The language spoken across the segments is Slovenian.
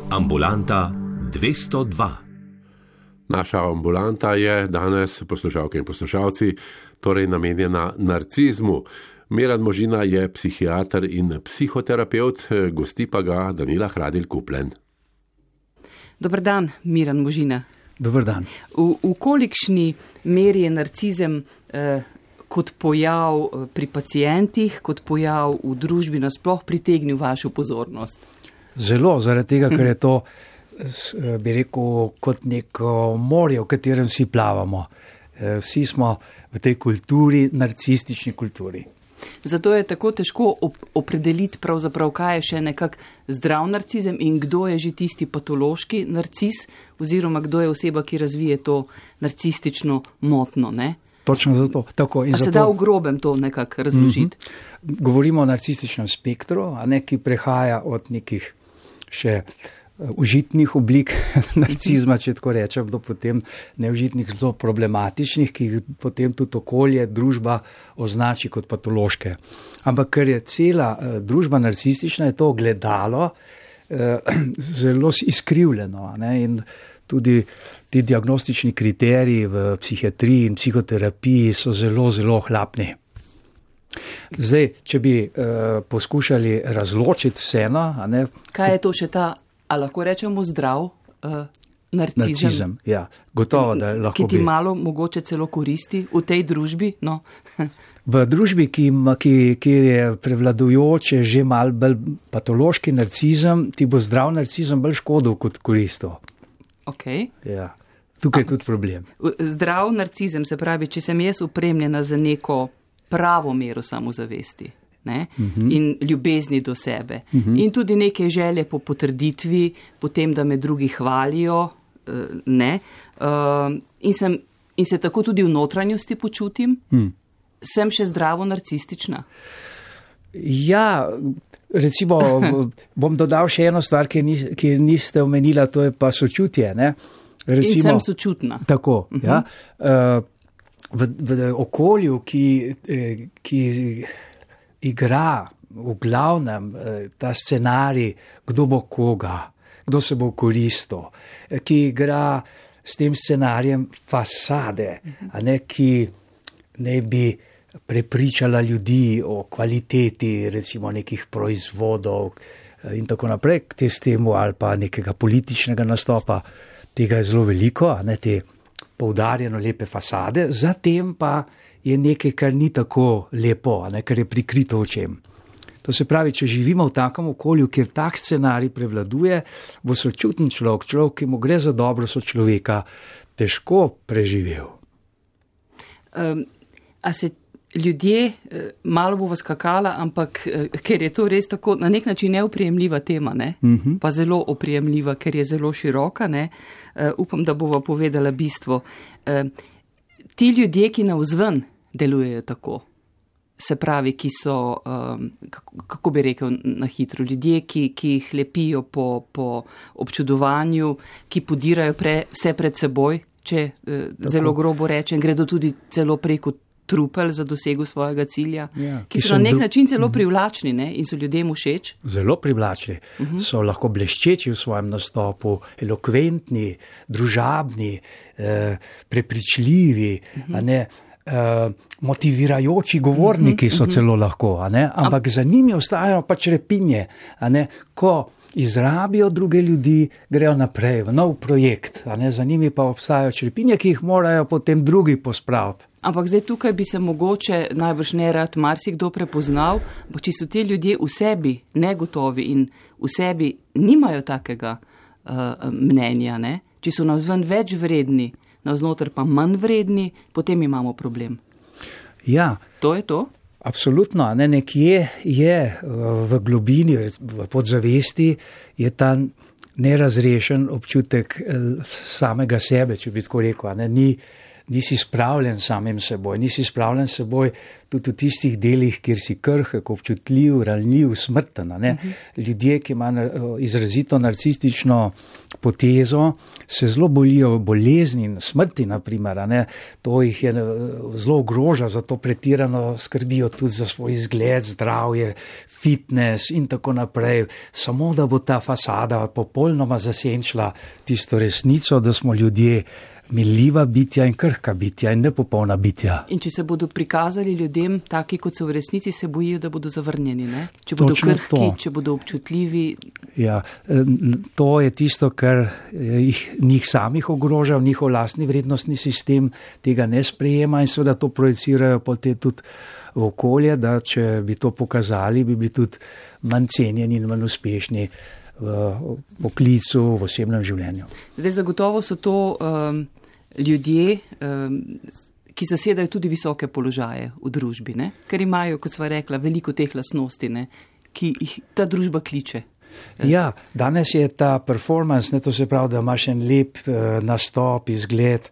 Ambulanta 202. Naša ambulanta je danes, poslušalke in poslušalci, torej namenjena narcizmu. Miran Možina je psihiater in psihoterapevt, gosti pa ga Danila Hradil-Kuplen. Dober dan, Miran Možina. Dober dan. V kolikšni meri je narcizem kot pojav pri pacientih, kot pojav v družbi nasploh pritegnil vašo pozornost? Zelo, zaradi tega, ker je to, bi rekel, kot neko morje, v katerem vsi plavamo. Vsi smo v tej kulturi, narcistični kulturi. Zato je tako težko opredeliti pravzaprav, kaj je še nekak zdrav narcizem in kdo je že tisti patološki narcis, oziroma kdo je oseba, ki razvije to narcistično motno, ne? Točno zato. Tako, in a se da v grobem to nekako razložiti? Govorimo o narcističnem spektru, a ne, ki prehaja od nekih še užitnih oblik narcizma, če tako rečem, do potem neužitnih, zelo problematičnih, ki jih potem tudi okolje, družba označi kot patološke. Ampak ker je cela družba narcistična, je to gledalo zelo izkrivljeno, ne? In tudi ti diagnostični kriteriji v psihiatriji in psihoterapiji so zelo, zelo ohlapni. Zdaj, če bi poskušali razločiti vseeno, a ne? Kaj je to še ta, a lahko rečemo zdrav narcizem? Narcizem, ja, gotovo, da lahko ki ti malo mogoče celo koristi v tej družbi, no? V družbi, kjer je prevladujoče že malo bolj patološki narcizem, ti bo zdrav narcizem bolj škodil kot koristil. Okay. Ja, tukaj je tudi problem. Zdrav narcizem, se pravi, če sem jaz opremljena za neko pravo mero samozavesti, ne? In ljubezni do sebe. In tudi neke želje po potrditvi, potem, da me drugi hvalijo, ne? In se tako tudi v notranjosti počutim, sem še zdravo narcistična. Ja, recimo, bom dodal še eno stvar, ki niste omenila, to je pa sočutje, ne? Recimo, in sem sočutna. Tako, ja. V okolju, ki igra v glavnem ta scenarij, kdo bo koga, kdo se bo koristil, ki igra s tem scenarijem fasade, a ne, ki ne bi prepričala ljudi o kvaliteti, recimo nekih proizvodov in tako naprej, k temu ali pa nekega političnega nastopa, tega je zelo veliko, a ne, te poudarjeno lepe fasade, zatem pa je nekaj, kar ni tako lepo, a ne, kar je prikrito očem. To se pravi, če živimo v takem okolju, kjer tak scenarij prevladuje, bo sočuten človek, ki mu gre za dobro sočloveka, težko preživel. A se ljudje, malo bo vas skakala, ampak ker je to res tako na nek način neoprijemljiva tema, ne? Pa zelo oprijemljiva, ker je zelo široka, ne? Upam, da bova povedala bistvo. Ti ljudje, ki navzven delujejo tako, se pravi, ki so, kako bi rekel na hitro, ljudje, ki jih lepijo po občudovanju, ki podirajo vse pred seboj, če zelo grobo rečem, gredo tudi celo preko trupel za dosego svojega cilja, ja, ki so na nek način celo privlačni, ne? In so ljudem všeč. Zelo privlačni. So lahko bleščeči v svojem nastopu, elokventni, družabni, prepričljivi, a ne, motivirajoči govorniki so celo lahko, a ne? Ampak za njimi ostajajo pač repinje, a ne, ko izrabijo druge ljudi, grejo naprej v nov projekt, a ne, za njimi pa obstajajo črepinje, ki jih morajo potem drugi pospraviti. Ampak zdaj tukaj bi se mogoče najbrž nerad marsikdo prepoznal, bo če so ti ljudje v sebi negotovi in v sebi nimajo takega mnenja, ne? Če so navzven več vredni, navznoter pa manj vredni, potem imamo problem. Ja. To je to? Absolutno, ne, nekje je v globini, v podzavesti je ta nerazrešen občutek samega sebe, če bi tako rekel, ne, nisi spravljen samim seboj, nisi spravljen seboj tudi v tistih delih, kjer si krhek, občutljiv, ranljiv, smrten. Ljudje, ki imajo izrazito narcistično potezo, se zelo bolijo bolezni in smrti, naprimer. To jih je zelo ogroža, zato pretirano skrbijo tudi za svoj izgled, zdravje, fitness in tako naprej. Samo da bo ta fasada popolnoma zasenčila tisto resnico, da smo ljudje miljiva bitja in krhka bitja in nepopolna bitja. In če se bodo prikazali ljudem taki, kot so v resnici, se bojijo, da bodo zavrnjeni, ne? Če bodo krhki, če bodo občutljivi. Ja, to je tisto, kar njih samih ogroža, njihov lastni vrednostni sistem tega ne sprejema in seveda to projicirajo potem tudi v okolje, da če bi to pokazali, bi bili tudi manj cenjeni in manj uspešni v poklicu, v osebnem življenju. Zdaj zagotovo so to ljudje, ki zasedajo tudi visoke položaje v družbi, ne? Ker imajo, kot sva rekla, veliko teh lastnosti, ne? Ki jih ta družba kliče. Ja, danes je ta performance, to se pravi, da imaš en lep nastop, izgled,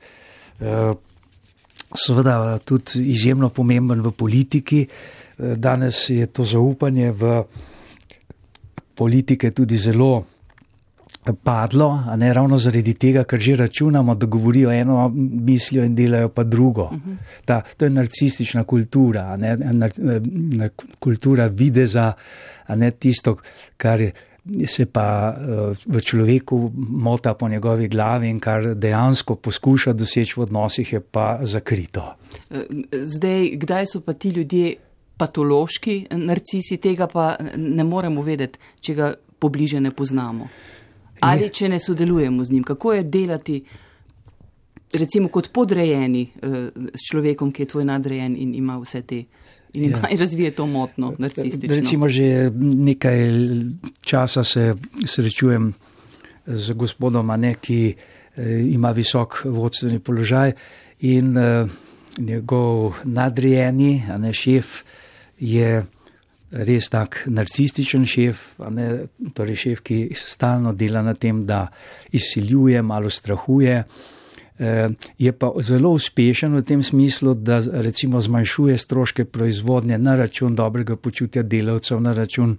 seveda tudi izjemno pomemben v politiki. Danes je to zaupanje v politike tudi zelo padlo, ravno zaradi tega, ker že računamo, da govorijo eno mislijo in delajo pa drugo. To je narcistična kultura, kultura videza, tisto, kar se pa v človeku mota po njegovi glavi in kar dejansko poskuša doseči v odnosih, je pa zakrito. Zdaj, kdaj so pa ti ljudje patološki narcisi, tega pa ne moremo vedeti, če ga pobliže ne poznamo. Ali če ne sodelujemo z njim. Kako je delati, recimo kot podrejeni s človekom, ki je tvoj nadrejen in ima vse te, in razvije to motno narcistično. Recimo že nekaj časa se srečujem z gospodom, ki ima visok vodstveni položaj in njegov nadrejeni, šef, je res tak narcističen šef, torej šef, ki stalno dela na tem, da izsiljuje, malo strahuje. Je pa zelo uspešen v tem smislu, da recimo zmanjšuje stroške proizvodnje na račun dobrega počutja delavcev, na račun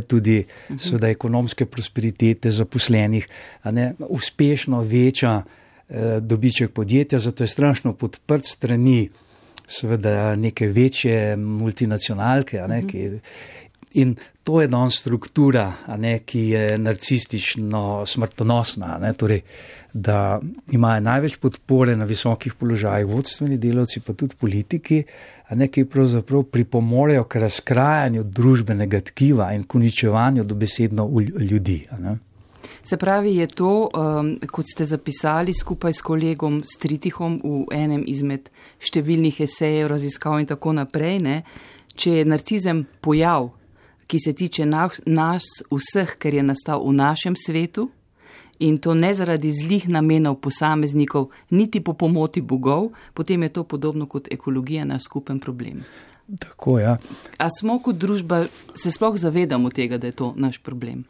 tudi seveda ekonomske prosperitete zaposlenih, uspešno veča dobiček podjetja, zato je strašno podprt strani seveda neke večje multinacionalke, in to je danes struktura, ki je narcistično smrtonosna, torej, da imajo največ podpore na visokih položajih vodstveni delavci, pa tudi politiki, ki pravzaprav pripomorejo k razkrajanju družbenega tkiva in k uničevanju dobesedno ljudi. Se pravi, je to, kot ste zapisali skupaj s kolegom Stritihom v enem izmed številnih esejev, raziskav in tako naprej, če je narcizem pojav, ki se tiče nas vseh, ker je nastal v našem svetu in to ne zaradi zlih namenov posameznikov, niti po pomoti bogov, potem je to podobno kot ekologija, naš skupen problem. Tako, ja. A smo kot družba, se sploh zavedamo tega, da je to naš problem?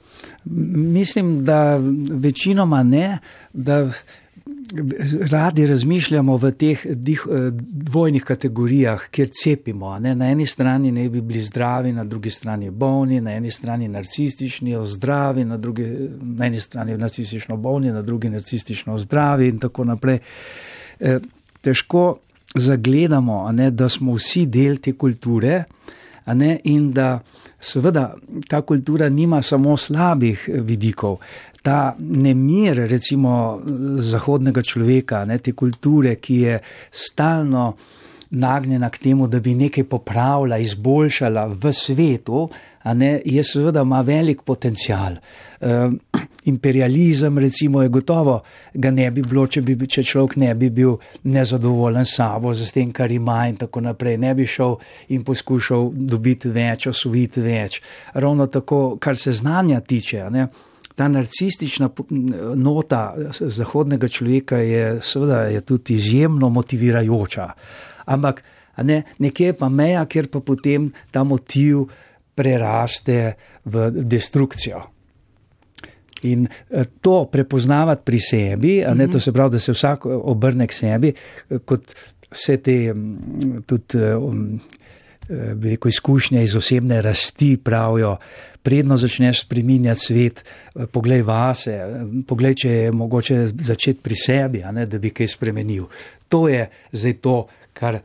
Mislim, da večinoma ne, da radi razmišljamo v teh dvojnih kategorijah, kjer cepimo. Na eni strani ne bi bili zdravi, na drugi strani bolni, na eni strani narcistični, zdravi, na eni strani narcistično bolni, na drugi narcistično zdravi in tako naprej. Težko zagledamo, da smo vsi del te kulture, in da seveda ta kultura nima samo slabih vidikov. Ta nemir, recimo, zahodnega človeka, te kulture, ki je stalno nagnjena k temu, da bi nekaj popravila, izboljšala v svetu, je seveda ima velik potencial. Imperializem, recimo, je gotovo, ga ne bi bilo, če človek ne bi bil nezadovoljen s sabo, z tem, kar ima in tako naprej. Ne bi šel in poskušal dobiti več, osvojiti več. Ravno tako, kar se znanja tiče, ta narcistična nota zahodnega človeka je seveda je tudi izjemno motivirajoča. Ampak nekje pa meja, kjer pa potem ta motiv preraste v destrukcijo. In to prepoznavati pri sebi, to se pravi, da se vsak obrne k sebi, kot vse te tudi bi rekel, izkušnje iz osebne rasti pravijo, predno začneš spreminjati svet, poglej vase, poglej, če je mogoče začeti pri sebi, da bi kaj spremenil. To je zdaj to, kar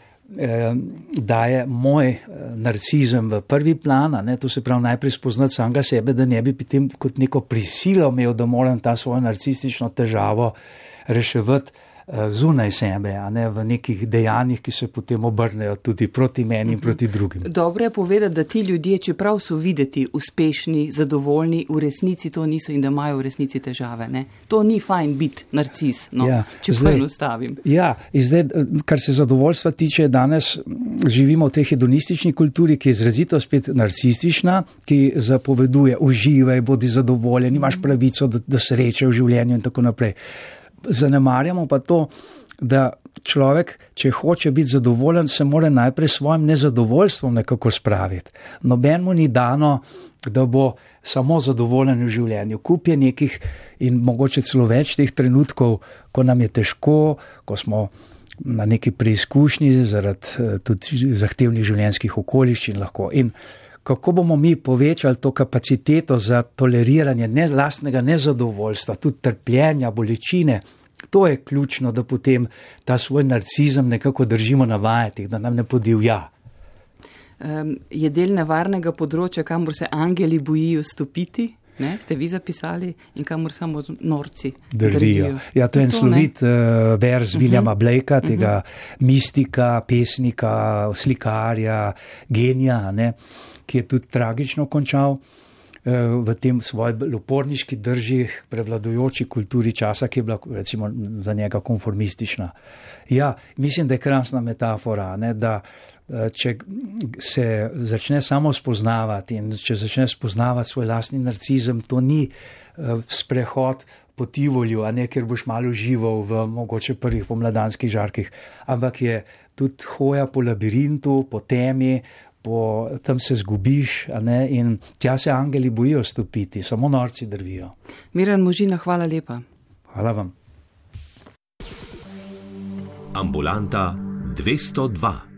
daje moj narcizem v prvi plan, to se pravi najprej spoznati samega sebe, da ne bi potem kot neko prisilo imel, da moram ta svojo narcistično težavo reševati zunaj sebe, v nekih dejanjih, ki se potem obrnejo tudi proti meni in proti drugim. Dobro je povedati, da ti ljudje, čeprav so videti uspešni, zadovoljni, v resnici to niso in da imajo v resnici težave. Ne? To ni fajn biti narcis, če poenostavim. Ja, in zdaj, kar se zadovoljstva tiče, danes živimo v tej hedonistični kulturi, ki je izrazito spet narcistična, ki zapoveduje, uživaj, bodi zadovoljen, imaš pravico do sreče v življenju in tako naprej. Zanemarjamo pa to, da človek, če hoče biti zadovoljen, se mora najprej svojim nezadovoljstvom nekako spraviti. Nobenemu ni dano, da bo samo zadovoljen v življenju. Kup je nekih in mogoče celo več teh trenutkov, ko nam je težko, ko smo na neki preizkušnji zaradi tudi zahtevnih življenjskih okoliščin lahko. In kako bomo mi povečali to kapaciteto za toleriranje lastnega nezadovoljstva, tudi trpljenja, bolečine, to je ključno, da potem ta svoj narcizem nekako držimo na vajeti, da nam ne podivja. Je del nevarnega področja, kamor se angeli bojijo stopiti? Ne, ste vi zapisali in kamor samo norci drvijo. Ja, to je en slovit verz Williama Blakea, tega mistika, pesnika, slikarja, genija, ki je tudi tragično končal v tem svoji uporniški drži, prevladujoči kulturi časa, ki je bila recimo za njega konformistična. Ja, mislim, da je krasna metafora, da če se začne samo spoznavati in če začne spoznavati svoj lastni narcizem, to ni sprehod po Tivolju, kjer boš malo užival v mogoče prvih pomladanskih žarkih, ampak je tudi hoja po labirintu, po temi, tam se zgubiš, in tja se angeli bojijo stopiti, samo norci drvijo. Miran Možina, hvala lepa. Hvala vam. Ambulanta 202.